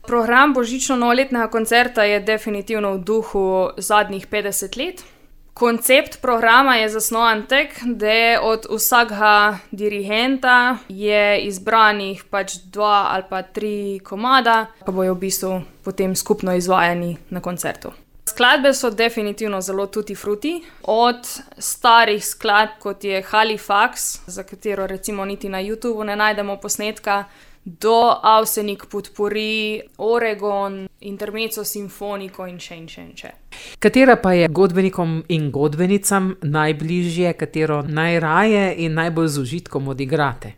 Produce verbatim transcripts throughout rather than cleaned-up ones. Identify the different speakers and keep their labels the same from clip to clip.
Speaker 1: Program božično-novoletnega koncerta je definitivno v duhu zadnjih petdeset let. Koncept programa je zasnovan tako, da od vsakega dirigenta je izbranih pač dva ali pa tri komada, pa bojo v bistvu potem skupno izvajani na koncertu. Skladbe so definitivno zelo tutti frutti, od starih skladb, kot je Halifax, za katero recimo niti na YouTubu ne najdemo posnetka, do Avsenik Potpourri, Oregon, Intermezzo Sinfonico in še in še in še.
Speaker 2: Katera pa je godbenikom in godbenicam najbližje, katero najraje in najbolj z užitkom odigrate?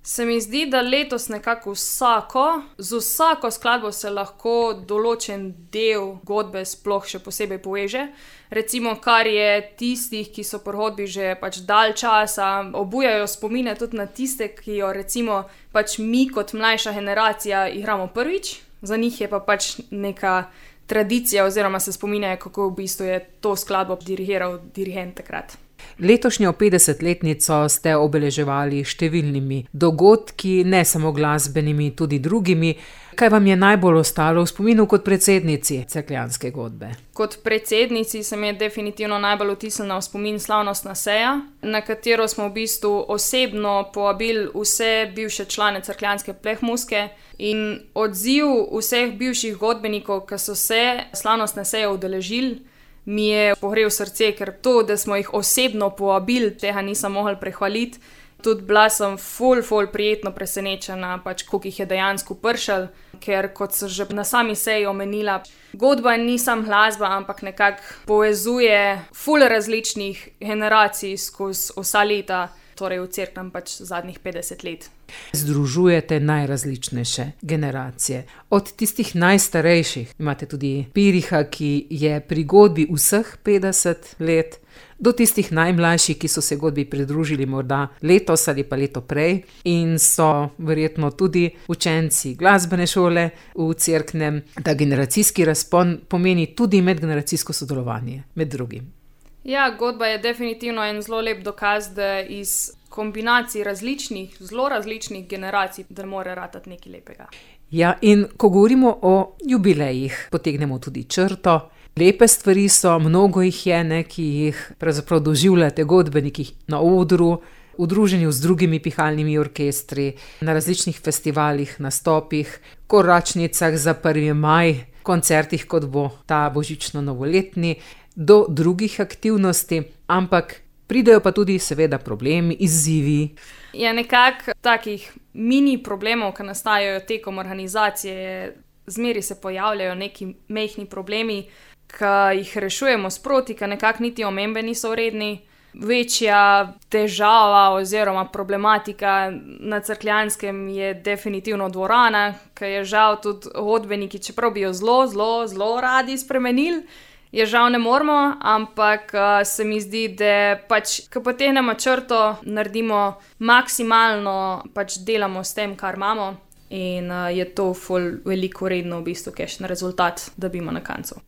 Speaker 1: Se mi zdi, da letos nekako vsako, z vsako skladbo se lahko določen del godbe sploh še posebej poveže. Recimo, kar je tistih, ki so pri godbi že pač dalj časa, obujajo spomine tudi na tiste, ki jo recimo pač mi kot mlajša generacija igramo prvič, za njih je pa pač neka tradicija oziroma se spominjajo, kako v bistvu je to skladbo dirigiral dirigent takrat.
Speaker 2: Letošnjo petdesetletnico ste obeleževali številnimi dogodki, ne samo glasbenimi, tudi drugimi. Kaj vam je najbolj ostalo v spominu kot predsednici cerkljanske godbe?
Speaker 1: Kot predsednici se mi je definitivno najbolj vtisnila v spomin slavnostna seja, na katero smo v bistvu osebno povabili vse bivše člane cerkljanske plehmuske in odziv vseh bivših godbenikov, ki so se slavnostne seje udeležili, mi je pogrel srce, ker to, da smo jih osebno povabili, tega nisem mogla prehvaliti. Tudi bila sem ful, ful prijetno presenečena, pač koliko jih je dejansko prišlo, ker kot so že na sami seji omenila, godba ni samo glasba, ampak nekako povezuje ful različnih generacij skozi vsa leta, torej v Cerknem pač zadnjih petdeset let.
Speaker 2: Združujete najrazličnejše generacije. Od tistih najstarejših, imate tudi Piriha, ki je pri godbi vseh petdeset let, do tistih najmlajših, ki so se godbi pridružili morda letos ali pa leto prej in so verjetno tudi učenci glasbene šole v Cerknem. Ta generacijski razpon pomeni tudi medgeneracijsko sodelovanje, med drugim.
Speaker 1: Ja, godba je definitivno en zelo lep dokaz, da iz kombinacij različnih, zelo različnih generacij, da mora ratati nekaj lepega.
Speaker 2: Ja, in ko govorimo o jubilejih, potegnemo tudi črto. Lepe stvari so, mnogo jih je, ne, ki jih pravzaprav doživljate godbeniki na odru, v druženju z drugimi pihalnimi orkestri, na različnih festivalih, nastopih, koračnicah za prvi maj, koncertih, kot bo ta božično-novoletni, do drugih aktivnosti, ampak pridejo pa tudi seveda problemi, izzivi.
Speaker 1: Je nekako takih mini problemov, ki nastajajo tekom organizacije, zmeri se pojavljajo neki majhni problemi, ki jih rešujemo sproti, ki nekako niti omembe niso vredni. Večja težava oziroma problematika na Cerkljanskem je definitivno dvorana, ki je žal tudi godbeniki, čeprav bi jo zelo, zelo, zelo radi spremenili, je žal ne moremo, ampak uh, se mi zdi, da pač, ko potegnemo črto, naredimo maksimalno, pač delamo s tem, kar imamo in uh, je to ful veliko vredno v bistvu, kakšen rezultat dobimo na koncu.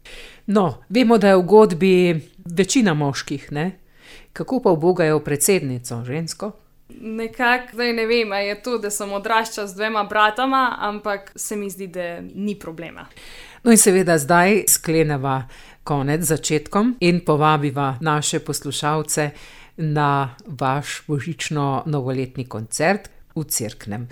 Speaker 2: No, vemo, da je v godbi večina moških, ne? Kako pa ubogajo predsednico, žensko?
Speaker 1: Nekako, zdaj ne vem, je to, da sem odraščala z dvema bratama, ampak se mi zdi, da ni problema.
Speaker 2: No in seveda zdaj skleneva konec začetkom in povabiva naše poslušalce na vaš božično-novoletni koncert v Cerknem.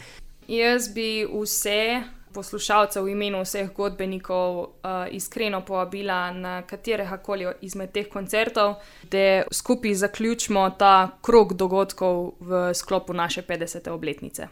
Speaker 1: Jaz bi vse poslušalce v imenu vseh godbenikov uh, iskreno povabila na katerega koli izmed teh koncertov, da skupaj zaključimo ta krog dogodkov v sklopu naše petdesete obletnice.